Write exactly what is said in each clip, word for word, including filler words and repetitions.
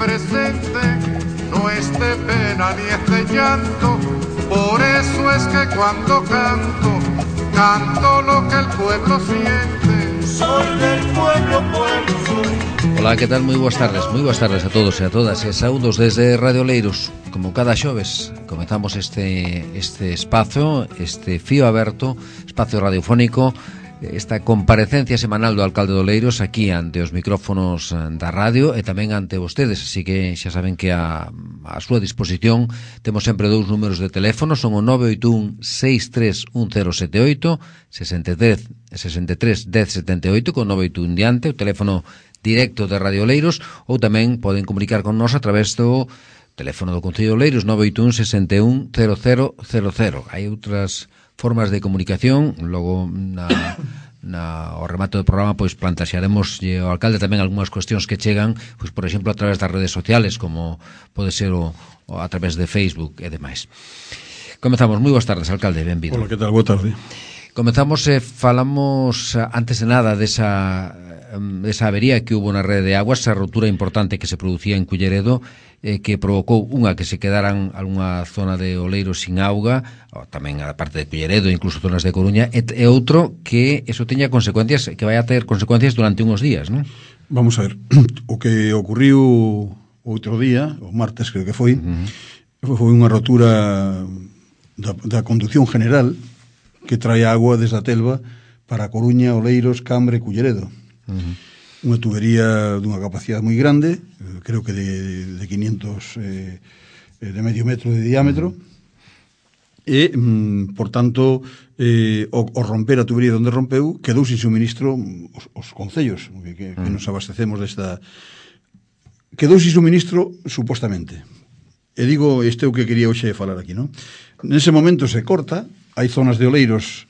presente, no es de pena ni es de llanto. Por eso es que cuando canto, canto lo que el pueblo siente. Soy del pueblo, pueblo soy. Ola, que tal? Moi boas tardes, moi boas tardes a todos e a todas e saúdos desde Radio Oleiros. Como cada xoves comezamos este, este espazo, este fío aberto, espazo radiofónico, esta comparecencia semanal do alcalde de Oleiros aquí ante os micrófonos da radio e tamén ante vostedes, así que xa saben que a, a súa disposición temos sempre dous números de teléfono, son o nove oito un seis tres un cero sete oito, sesenta e tres dez setenta e oito con nove oito un diante, o teléfono directo de Radio Oleiros, ou tamén poden comunicar con nós a través do teléfono do Concello de Oleiros nove oito un sesenta e un cero cero cero cero. Hai outras formas de comunicación, logo na, na o remato do programa pois plantaxaremos ao alcalde tamén algunhas cuestións que chegan, pois por exemplo a través das redes sociales, como pode ser o, o a través de Facebook e demais. Comezamos. Moi boas tardes, alcalde, benvido. Hola, que tal? Boa tarde. Comezamos e eh, falamos antes de nada desa esa avería que hubo na rede de aguas, esa rotura importante que se producía en Culleredo, eh, que provocou unha que se quedaran algunha zona de Oleiros sin auga, ou tamén a parte de Culleredo, incluso zonas de Coruña, e, e outro que eso teña consecuencias, que vai a ter consecuencias durante uns días, non? Vamos a ver, o que ocurriu outro día, o martes creo que foi, uh-huh. foi unha rotura da, da conducción general que trae agua desde a Telva para Coruña, Oleiros, Cambre, Culleredo. Uh-huh. Unha tubería dunha capacidade moi grande, creo que de, de quinientos eh, de medio metro de diámetro, uh-huh. e, mm, por tanto, eh, o, o romper a tubería onde rompeu, quedou sin suministro os, os concellos que, que, uh-huh. que nos abastecemos desta... Quedou sin suministro, supostamente. E digo, este é o que quería hoxe falar aquí, non? Nese momento se corta, hai zonas de Oleiros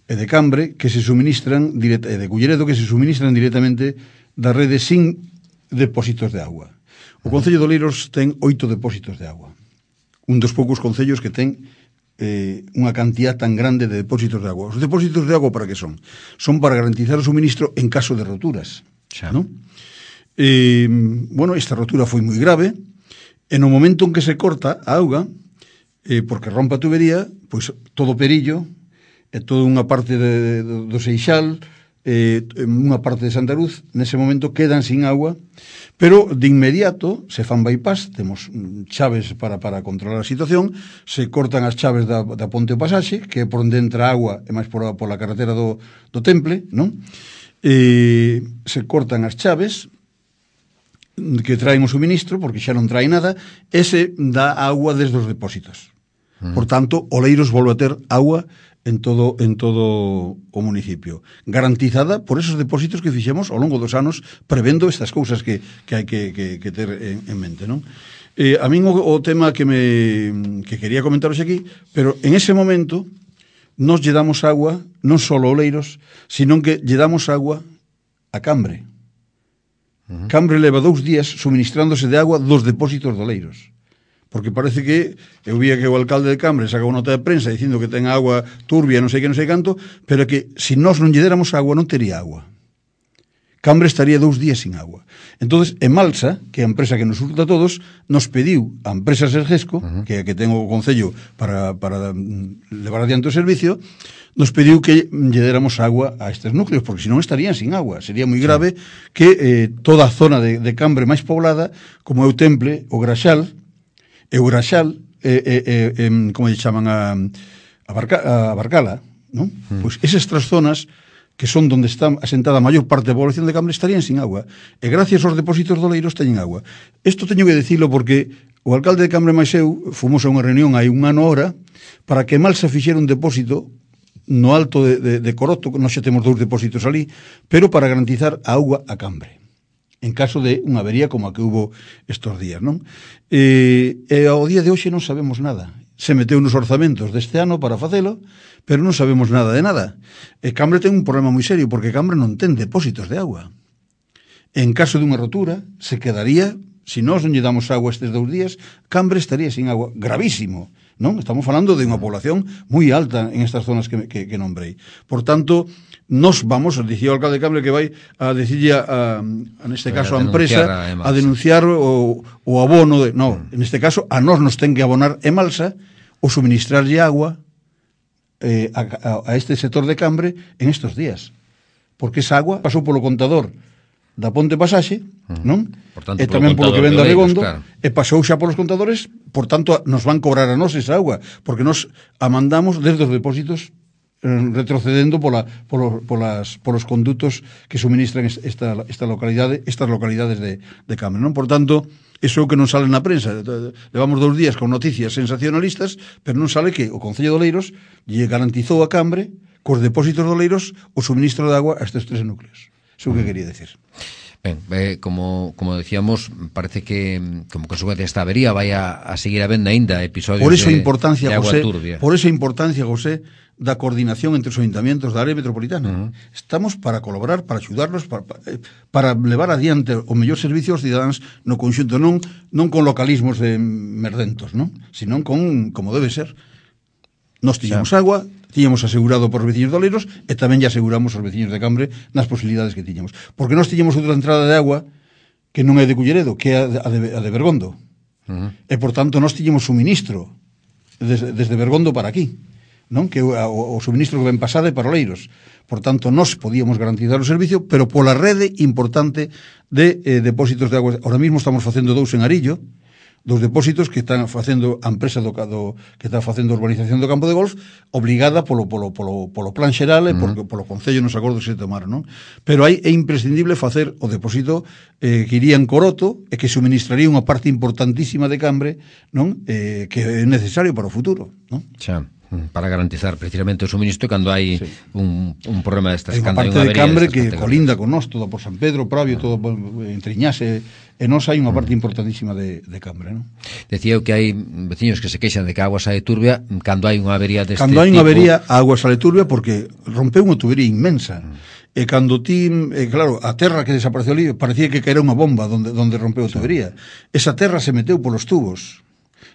e de Cambre que se suministran direct, e de Culleredo que se suministran directamente da rede sin depósitos de agua. O Concello de Oleiros ten oito depósitos de agua. Un dos poucos concellos que ten eh, unha cantidad tan grande de depósitos de agua. Os depósitos de agua para que son? Son para garantizar o suministro en caso de roturas. Xa. ¿No? Eh, bueno, esta rotura foi moi grave. En o momento en que se corta a auga, eh, porque rompa a tubería, pois todo Perillo e toda unha parte de, de, do Seixal, eh, unha parte de Santa Cruz, nese momento quedan sin agua, pero de inmediato se fan bypass, temos chaves para, para controlar a situación, se cortan as chaves da, da Ponte o Pasaxe, que é por onde entra agua, e máis por, por a carretera do, do Temple, non? E se cortan as chaves que traen o suministro, porque xa non trae nada, e se dá agua desde os depósitos. Mm. Por tanto, Oleiros volve a ter agua en todo en todo o municipio, garantizada por esos depósitos que fixemos ao longo dos anos, prevendo estas cousas que, que hai que, que, que ter en, en mente, non? Eh, a min o, o tema que me que quería comentaros aquí, pero en ese momento nos lle damos agua non só a Oleiros, sino que lle damos agua a Cambre. Uh-huh. Cambre leva dous días suministrándose de agua dos depósitos de Oleiros. Porque parece que eu vía que o alcalde de Cambre saca unha nota de prensa dicindo que ten agua turbia, non sei que, non sei canto, pero que se nós non lle déramos agua non tería agua. Cambre estaría dous días sin agua. Entonces, Emalsa, que é a empresa que nos surta a todos, nos pediu a empresa Sergesco, uh-huh. que é a que ten o Concello para, para levar adiante o servicio, nos pediu que lle déramos agua a estes núcleos, porque senón estarían sin agua. Sería moi grave sí. que eh, toda a zona de, de Cambre máis poblada, como é o Temple, o Graxal, e o Graxal, eh, eh, eh, como lle chaman a, a, Barca, a Barcala, non? Mm. Pois esas tres zonas que son onde está asentada a maior parte da población de Cambre estarían sin agua, e gracias aos depósitos de Oleiros teñen agua. Isto teño que dicilo porque o alcalde de Cambre máis eu fomos a unha reunión hai un ano hora para que Malsa fixera un depósito no alto de, de, de Coroto, nós xa temos dous depósitos ali, pero para garantizar a auga a Cambre, en caso de unha avería como a que hubo estes días, non? E, e ao día de hoxe non sabemos nada. Se meteu nos orzamentos deste ano para facelo, pero non sabemos nada de nada. E Cambre ten un problema moi serio, porque Cambre non ten depósitos de agua. En caso de unha rotura, se quedaría, se nós non lle damos agua estes dous días, Cambre estaría sin agua. Gravísimo. non? Estamos falando de unha población moi alta en estas zonas que, que, que nombrei. Por tanto, nos vamos, dicía o alcalde de Cambre que vai a decirle a, a, a neste caso a empresa a, a denunciar o, o abono de, no, mm. en este caso a nós nos ten que abonar Emalsa o suministrarlle agua eh, a, a, a este sector de Cambre en estos días, porque esa agua pasou polo contador da Ponte Pasaxe, non? Por tanto, e tamén polo que vende a Regondo, claro. E pasou xa polos contadores, por tanto, nos van cobrar a nós esa agua, porque nos a mandamos desde os depósitos eh, retrocedendo pola, polo, polas, polos condutos que suministran esta, esta localidade, estas localidades de, de Cambre, non? Por tanto, iso é o que non sale na prensa. Levamos dous días con noticias sensacionalistas, pero non sale que o Concello de Oleiros lle garantizou a Cambre, cos depósitos de Oleiros, o suministro de agua a estes tres núcleos. Iso é o que quería decir. Ben, eh, como, como decíamos, parece que como consecuencia desta avería vai a, a seguir habendo aínda episodios por eso de, importancia, de agua José, turbia. Por esa importancia, José, da coordinación entre os ayuntamientos da área metropolitana. Uh-huh. Estamos para colaborar, para axudarnos, para, para levar adiante o mellor servicio aos cidadáns no conxunto, non, non con localismos de merdentos, non? Sino con, como debe ser. Nos tiñamos xa. agua, tiñamos asegurado por os veciños de Oleiros e tamén lle aseguramos aos veciños de Cambre nas posibilidades que tiñamos. Porque nós tiñamos outra entrada de agua que non é de Culleredo, que é a de, a de Bergondo. Uh-huh. E, por tanto, nós tiñamos suministro desde, desde Bergondo para aquí, non? Que o, o suministro que ven pasade para Oleiros. Por tanto, nós podíamos garantizar o servicio, pero pola rede importante de eh, depósitos de agua. Ahora mismo estamos facendo dous en Arillo, dos depósitos que están facendo a empresa do, do que está facendo a urbanización do campo de golf, obligada polo, polo, polo, polo plan xeral e uh-huh. polo Concello nos acordos que se tomaron, non? Pero aí é imprescindible facer o depósito eh, que iría en Coroto e que suministraría unha parte importantísima de Cambre, non? Eh, que é necesario para o futuro, non? Xa. Para garantizar precisamente o suministro cando hai sí. un, un problema destas. Hai unha parte de Cambre que colinda con nós, todo por San Pedro, Pravio, ah. todo entre Iñase, e nós hai unha parte mm. importantísima de, de Cambre, non? Decía que hai veciños que se queixan de que a agua sae turbia cando hai unha avería deste tipo. Cando hai unha avería, a agua sale turbia porque rompeu unha tubería inmensa. Mm. E cando ti, eh, claro, a terra que desapareceu ali, parecía que caera unha bomba donde, donde rompeu a tubería. Esa terra se meteu polos tubos.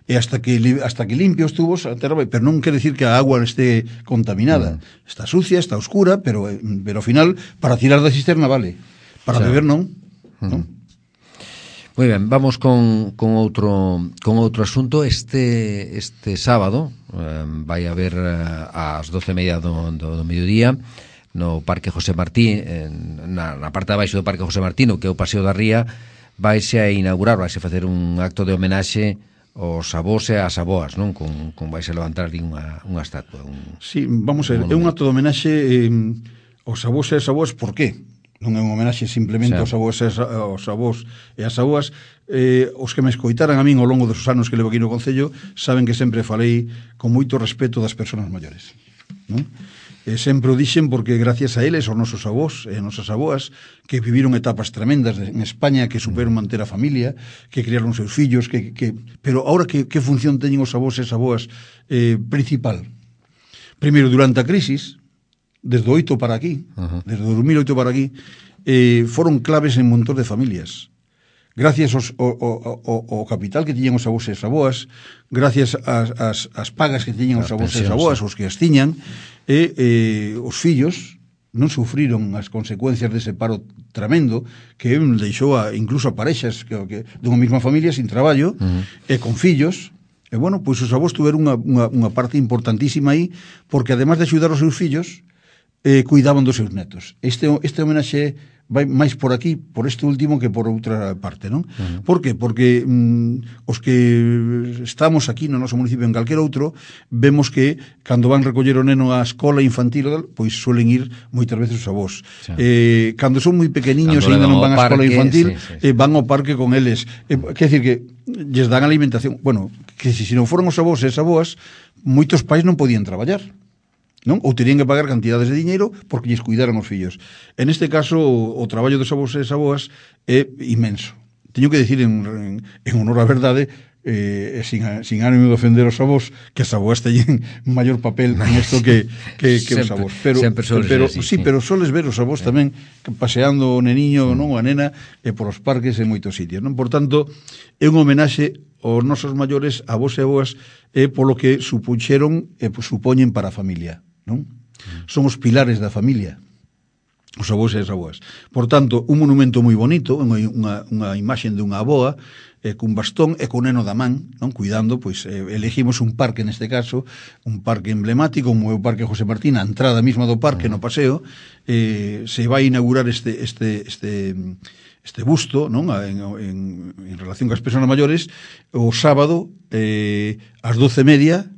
E hasta que hasta que limpia os tubos a terra vai, pero non quere decir que a agua este contaminada. Mm. Está sucia, está oscura, pero pero ao final para tirar da cisterna vale. Para o sea, beber non, mm. non? Moi ben, vamos con, con outro con outro asunto. Este este sábado eh, vai haber eh, ás doce e media do, do, do mediodía no Parque José Martí, en, na, na parte de baixo do Parque José Martí, no que é o Paseo da Ría, vaise a inaugurar, vaise a facer un acto de homenaxe os avós e as avoas, non? Con, con vais a levantar unha, unha estatua. Un, sí, vamos a ver, é un acto de homenaxe eh, aos avós e as avoas, por qué? Non é un homenaxe simplemente aos avós e as, aos avós e as avoas. Eh, os que me escoitaran a min ao longo dos anos que levo aquí no Concello saben que sempre falei con moito respeto das persoas maiores, non? E sempre o dixen porque gracias a eles, os nosos avós e as nosas avoas, que viviron etapas tremendas en España, que superon manter a familia, que criaron seus fillos, que, que... pero ahora que, que función teñen os avós e as avoas eh, principal? Primeiro, durante a crisis, desde o oito para aquí, uh-huh. desde o dos mil oito para aquí, eh, foron claves en un montón de familias. Gracias aos, ao, ao, ao capital que tiñan os avós e as avoas, gracias ás, ás, ás pagas que tiñan os avós e as avoas, os que as tiñan, e eh, os fillos non sufriron as consecuencias dese paro tremendo que deixou a, incluso a parexas que, que, dunha mesma familia sin traballo uh-huh. e con fillos. E bueno, pois os avós tuveron unha, unha, unha parte importantísima aí, porque además de axudar os seus fillos, eh, cuidaban dos seus netos. Este, este homenaxe vai máis por aquí, por este último, que por outra parte, non? Uh-huh. Por que? Porque mm, os que estamos aquí no noso municipio en calquer outro, vemos que cando van recoller o neno á escola infantil, pois suelen ir moitas veces os avós. Sí. Eh, cando son moi pequeniños e ainda non van á escola infantil, sí, sí, sí. Eh, van ao parque con eles. Eh, quer decir que lles dan alimentación. Bueno, que se si non foron os avós e as avoas, moitos pais non podían traballar, non? Ou terían que pagar cantidades de diñeiro porque lles cuidaran os fillos. En este caso, o, o traballo dos avós e as avoas é inmenso. Teño que decir en, en, en honor á verdade, eh, sin, sin ánimo de ofender os avós, que as avoas teñen maior papel en isto que, que, que os avós. Pero, pero, así, sí, sí, pero soles ver os avós sí. tamén paseando o neniño, mm. non, a nena, e por os parques en moitos sitios, non? Por tanto, é un homenaxe os nosos maiores, avós e avoas, é polo que supuxeron e supoñen para a familia, non? Son os pilares da familia, os avós e as avoas. Por tanto, un monumento moi bonito, unha, unha, unha imaxen de unha aboa, eh, cun bastón e cun neno da man, non? Cuidando, pois eh, elegimos un parque neste caso, un parque emblemático, como é o Parque José Martín, a entrada mesma do parque no paseo, eh, se vai inaugurar este este este este busto, non? En, en, en relación cas persoas maiores, o sábado eh, ás doce e media,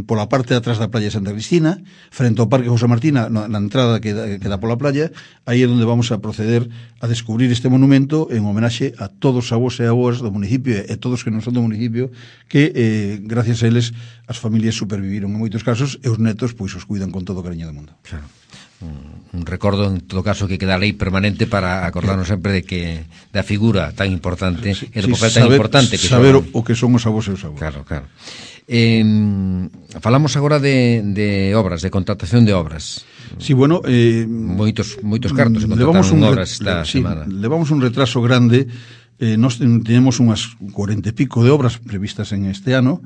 pola parte de atrás da playa de Santa Cristina, frente ao Parque José Martín, na, na entrada que da, que dá pola playa. Aí é onde vamos a proceder a descubrir este monumento en homenaxe a todos os avós e avoas do municipio e todos que non son do municipio, que eh, gracias a eles as familias superviviron en moitos casos e os netos pois os cuidan con todo o cariño do mundo. Claro. Un recordo en todo caso que queda lei permanente para acordarnos sempre de que da figura tan importante sí, e do papel sí, tan saber, importante que saber son... o que son os avós e os avós. Claro, claro. Eh, falamos agora de, de obras, de contratación de obras. Sí, bueno, eh, moitos moitos cartos se contrataron obras esta sí, semana. Levamos un retraso grande. Eh, nós tenemos unhas cuarenta e pico de obras previstas en este ano.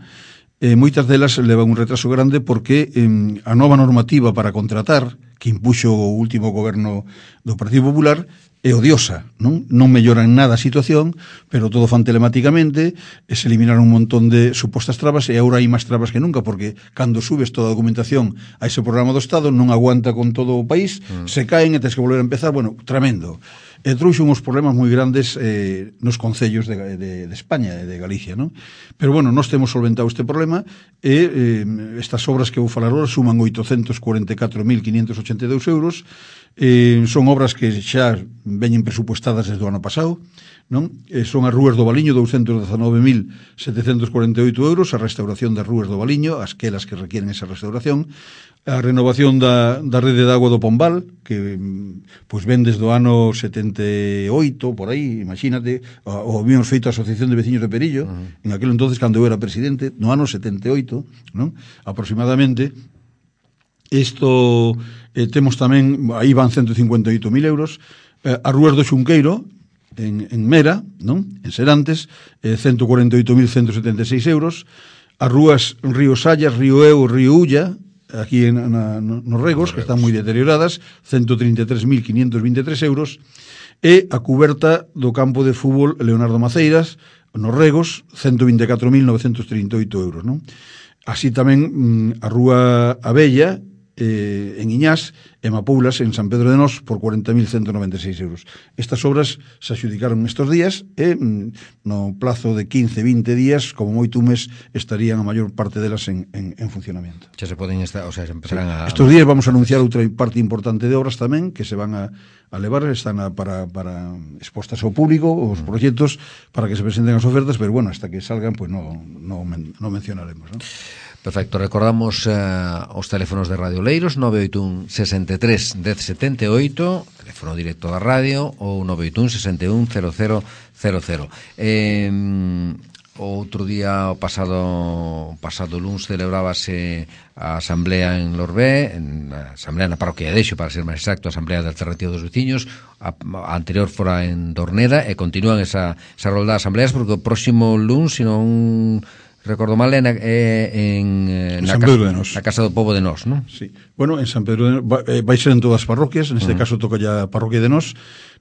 Eh, moitas delas levan un retraso grande porque eh, a nova normativa para contratar que impuxo o último goberno do Partido Popular é odiosa, non? Non mellora en nada a situación, pero todo fan telemáticamente, e se eliminaron un montón de supostas trabas, e agora hai máis trabas que nunca, porque cando subes toda a documentación a ese programa do Estado, non aguanta con todo o país, mm. se caen e tens que volver a empezar, bueno, tremendo. E trouxe uns problemas moi grandes eh, nos concellos de, de, de España e de Galicia, non? Pero, bueno, nós temos solventado este problema e eh, estas obras que vou falar agora suman oitocentos cuarenta e catro mil quinhentos ochenta e dous euros. Eh, son obras que xa veñen presupuestadas desde o ano pasado, non? Eh, son as rúas do Valiño, douscentos dezanove mil setecentos cuarenta e oito euros, a restauración das rúas do Valiño, as quelas que requieren esa restauración, a renovación da, da rede de agua do Pombal, que pois ven desde o ano setenta e oito, por aí, imagínate, o, o habíamos feito a Asociación de Veciños de Perillo, uh-huh. en aquel entonces, cando eu era presidente, no ano setenta e oito, non? Aproximadamente. Isto eh, temos tamén, aí van ciento cincuenta e oito mil euros, eh, as rúas do Xunqueiro, en, en Mera, non? En Serantes, eh, ciento cuarenta e oito mil ciento setenta e seis euros, as rúas Río Sallas, Río Eu, Río Ulla, aquí en, na, nos Regos, que están moi deterioradas, ciento trinta e tres mil quinhentos vinte e tres euros, e a cuberta do campo de fútbol Leonardo Maceiras, nos Regos, ciento vinte e catro mil novecentos trinta e oito euros, non? Así tamén a rúa Abella, eh, en Iñás, e Mapoulas, en San Pedro de Nós, por cuarenta mil ciento noventa e seis euros. Estas obras se adxudicaron estes días e no plazo de quince, vinte días, como moito un mes, estarían a maior parte delas en, en, en funcionamento. Xa se poden estar, o sea, se empezarán sí. a... Estes días vamos a anunciar outra parte importante de obras tamén, que se van a, a levar, están a, para, para expostas ao público, os mm. proxectos, para que se presenten as ofertas, pero bueno, hasta que salgan, pues no, no, no mencionaremos, ¿no? Perfecto, recordamos uh, os teléfonos de Radio Leiros, nove oito un sesenta e tres dez setenta e oito, teléfono directo da radio, ou nove oito un sesenta e un cero cero cero cero. Eh, outro día, o pasado pasado luns, celebrábase a asamblea en Lorbé, en a asamblea na parroquia de Deixo, para ser máis exacto, a asamblea de Alternativa dos Veciños. A, a anterior fora en Dorneda, e continúan esa, esa rolda de asambleas, porque o próximo luns, sino un... recordo mal, en, en, en na, casa, na Casa do Pobo de Nós, non? Sí. Bueno, en San Pedro de Nós, vai, vai ser en todas as parroquias, en este uh-huh. caso toca ya a parroquia de Nós,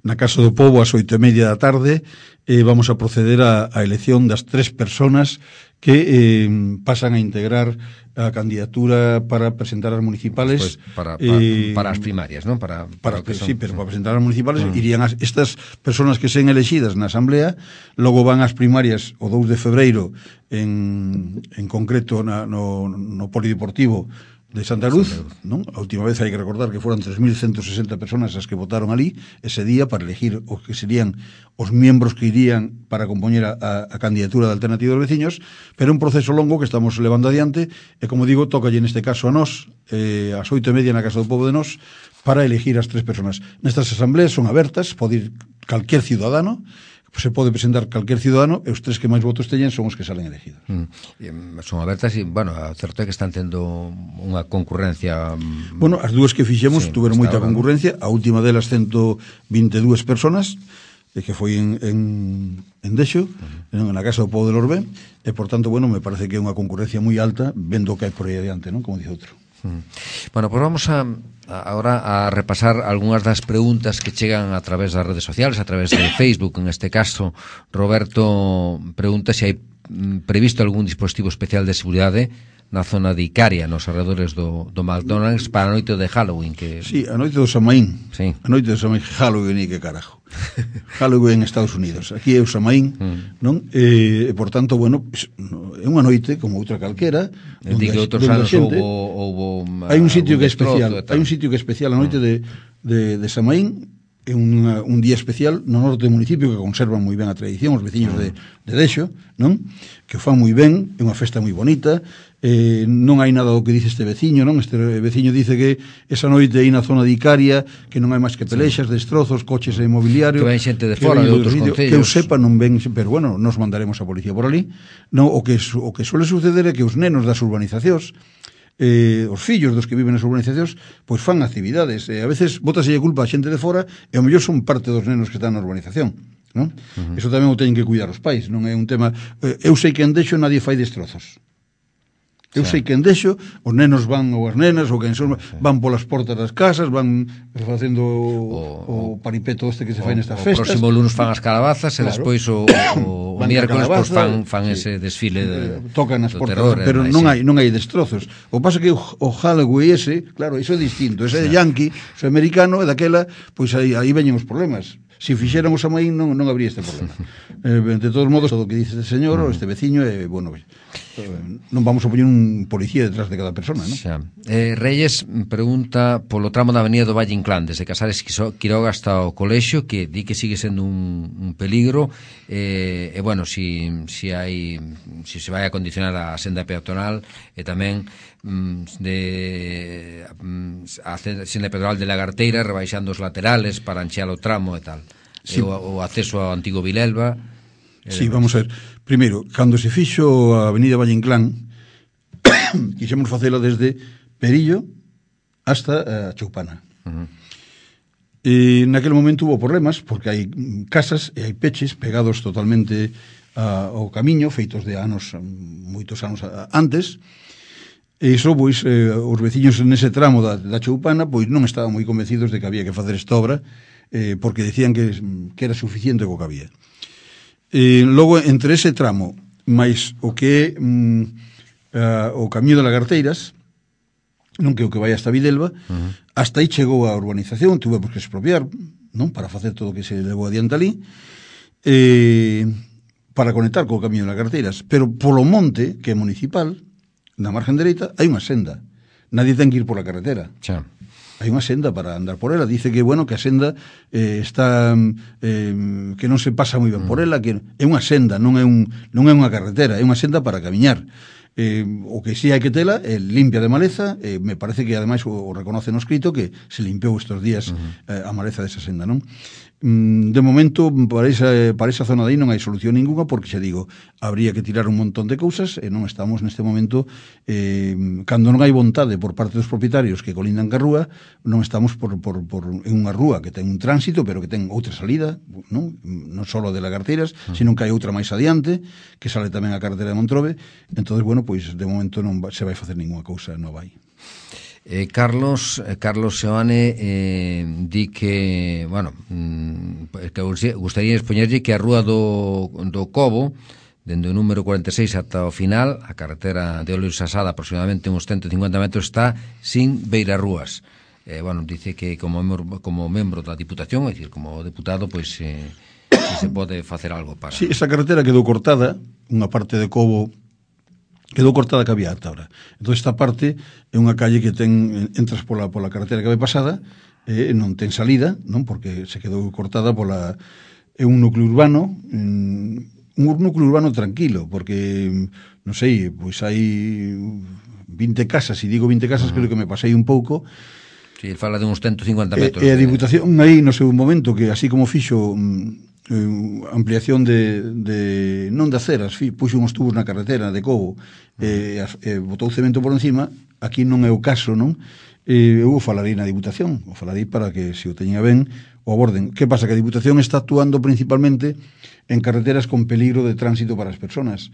na Casa do Pobo ás oito e media da tarde, eh, vamos a proceder a, a elección das tres personas que eh, pasan a integrar a candidatura para presentar as municipales, pues para, para, eh, para as primarias, ¿no? Para, para, para que son, sí, pero para presentar as municipales uh-huh. irían as, estas personas que sean elegidas na asamblea, logo van ás primarias o dous de febreiro en, en concreto na, no, no polideportivo de Santa Luz, non? A última vez hai que recordar que foran tres mil ciento sesenta personas as que votaron ali ese día para elegir os que serían os miembros que irían para compoñer a, a, a candidatura da Alternativa dos Veciños, pero un proceso longo que estamos levando adiante, e como digo, tocalle neste caso a nós, eh, ás oito e media na Casa do Pobo de Nós, para elegir as tres personas. Nestas asambleas son abertas, pode ir calquer ciudadano, se pode presentar calquer ciudadano, e os tres que máis votos teñen son os que salen elegidos. Mm. Son abertas e, bueno, a certo é que están tendo unha concurrencia... Bueno, as dúas que fixemos sí, tuveron moita concurrencia, a última delas ciento vinte e dúas personas, e que foi en, en, en Dexo, uh-huh. na casa do Pobo de Lorbén, e, por tanto, bueno, me parece que é unha concurrencia moi alta, vendo que hai por aí adiante, non? Como dice outro. Uh-huh. Bueno, pois pues vamos a, a ahora a repasar algunhas das preguntas que chegan a través das redes sociales, a través de Facebook. En este caso, Roberto pregunta se hai previsto algún dispositivo especial de seguridade na zona de Icaria, nos arredores do, do McDonald's, para a noite de Halloween. Que... Sí, a noite do Samaín. Sí. A noite do Samaín, Halloween, e que carajo. Halloween en Estados Unidos. Aquí é o Samaín, mm. non? E, por tanto, bueno, é unha noite como outra calquera. Digo, outros anos houbo, houbo hai un sitio que é especial, hai un sitio que é especial a noite mm. de, de, de Samaín. É un, un día especial no norte do municipio que conservan moi ben a tradición, os veciños de, de Dexo, non? Que o fan moi ben, é unha festa moi bonita, eh, non hai nada do que dice este veciño, non? Este veciño dice que esa noite aí na zona de Icaria, que non hai máis que pelexas, sí. destrozos, coches e mobiliario, que ven xente de fora, de outros concellos. Que eu sepa non ven, pero bueno, nos mandaremos a policía por ali. Non, o que o que suele suceder é que os nenos das urbanizacións, Eh, os fillos dos que viven nas urbanizacións, pois fan actividades, e eh, a veces bótaselle culpa a xente de fora, e ao mellor son parte dos nenos que están na urbanización, non? Uh-huh. Eso tamén o teñen que cuidar os pais, non é un tema. eh, eu sei que en Dexo nadie fai destrozos. Eu sí. sei que en Dexo os nenos van, ou as nenas, ou quen son, sí. van polas portas das casas, van facendo o, o, o paripeto este que se fai nestas o festas. O próximo lunes fan as calabazas, claro. E despois o, o, o miércoles pues, fan, fan sí. ese desfile de, tocan as portas, terror, pero non hai, non hai destrozos. O pasa que o, o Halloween ese, claro, iso é distinto, ese é sí. yankee, ese americano, e daquela, pois aí, aí veñen os problemas. Se fixeran o Samaín non, non habría este problema. eh, de todos modos, todo o que dice este señor, ou este veciño, é, eh, bueno, eh, non vamos a poñer un policía detrás de cada persona, non? Xa. Eh, Reyes pregunta polo tramo da avenida do Valle Inclán, desde Casares Quiroga hasta o colexio, que di que sigue sendo un, un peligro, e, eh, eh, bueno, si, si hai si se vai a condicionar a senda peatonal, e tamén de a senda peatonal de Lagarteira, rebaixando os laterales para anchear o tramo e tal. Sí. E o, o acceso ao antigo Vilelva. Sí, vamos a ver. Primeiro, cando se fixo a avenida Valle Inclán, quixemos facela desde Perillo hasta a Choupana. Uh-huh. E naquele momento hubo problemas, porque hai casas e hai peches pegados totalmente a, ao camiño, feitos de anos, moitos anos antes. E iso, pois, eh, os veciños nese tramo da, da Choupana, pois non estaban moi convencidos de que había que facer esta obra, eh, porque decían que, que era suficiente co que había. E logo, entre ese tramo, máis o que é mm, uh, o camiño de Lagarteiras, non que o que vai hasta Videlva, uh-huh. hasta aí chegou a urbanización, tuvemos que expropiar, non, para facer todo o que se levou adiante ali, eh, para conectar co camiño de Lagarteiras, pero polo monte, que é municipal, na margen dereita, hai unha senda. Nadie ten que ir pola carretera. Xa. Hai unha senda para andar por ela. Dice que, bueno, que a senda eh, está eh, que non se pasa moi ben mm. por ela, que é unha senda, non é un non é unha carretera, é unha senda para camiñar. Eh, o que sí hai que tela é limpia de maleza, eh, me parece que ademais o, o reconoce no escrito que se limpiou estes días uh-huh. eh, a maleza desa senda, non? De momento, para esa, para esa zona de aí non hai solución ninguna, porque xa digo, habría que tirar un montón de cousas e non estamos neste momento, eh, cando non hai vontade por parte dos propietarios que colindan ca rúa, non estamos por, por, por en unha rúa que ten un tránsito, pero que ten outra salida, non, non só de Lagarteiras, uh-huh. sino que hai outra máis adiante, que sale tamén a carretera de Montrobe. Entonces, bueno, pois de momento non se vai facer ninguna cousa nova aí. Eh, Carlos eh, Carlos Seoane eh, di que, bueno, mm, que gustaría expoñerlle que a rúa do, do Cobo, dende o número cuarenta e seis ata o final, a carretera de Olio Sasada, aproximadamente uns ciento cincuenta metros, está sin beirarrúas. Eh, bueno, dice que como membro, como membro da Diputación, é dicir, como deputado, pois eh, se pode facer algo para... Sí, esa carretera quedou cortada, unha parte de Cobo quedou cortada que había ata ahora. Entón, esta parte é unha calle que ten, entras pola, pola carretera que vai pasada, e non ten salida, non, porque se quedou cortada pola... É un núcleo urbano, un núcleo urbano tranquilo, porque, non sei, pois hai vinte casas, e digo vinte casas, uh-huh. creo que me pasei un pouco. Si, sí, fala de uns ciento cincuenta metros. E, e a Diputación aí, no seu momento, que así como fixo... Uh, ampliación de, de non de aceras, fi, puxo uns tubos na carretera de Cobo, e eh, eh, botou cemento por encima. Aquí non é o caso, non? Eh, eu o falarei na Diputación, o falarei para que, se o teña ben, o aborden. Que pasa? Que a Diputación está actuando principalmente en carreteras con peligro de tránsito para as personas.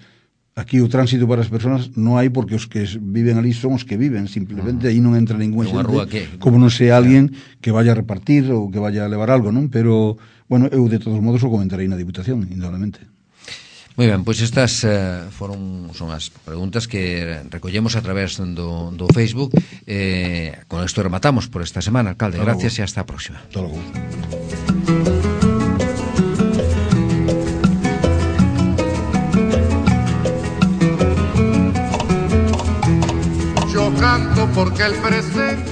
Aquí o tránsito para as persoas non hai porque os que viven ali son os que viven, simplemente aí non entra ningún xente, que... como non sei alguén que vaya a repartir ou que vaya a levar algo, non? Pero, bueno, eu de todos modos o comentarei na Diputación, indudablemente. Moi ben, pois estas uh, foron son as preguntas que recollemos a través do, do Facebook. Eh, con isto rematamos por esta semana, alcalde. Gracias e hasta a próxima. Hasta logo. Yo canto porque el presente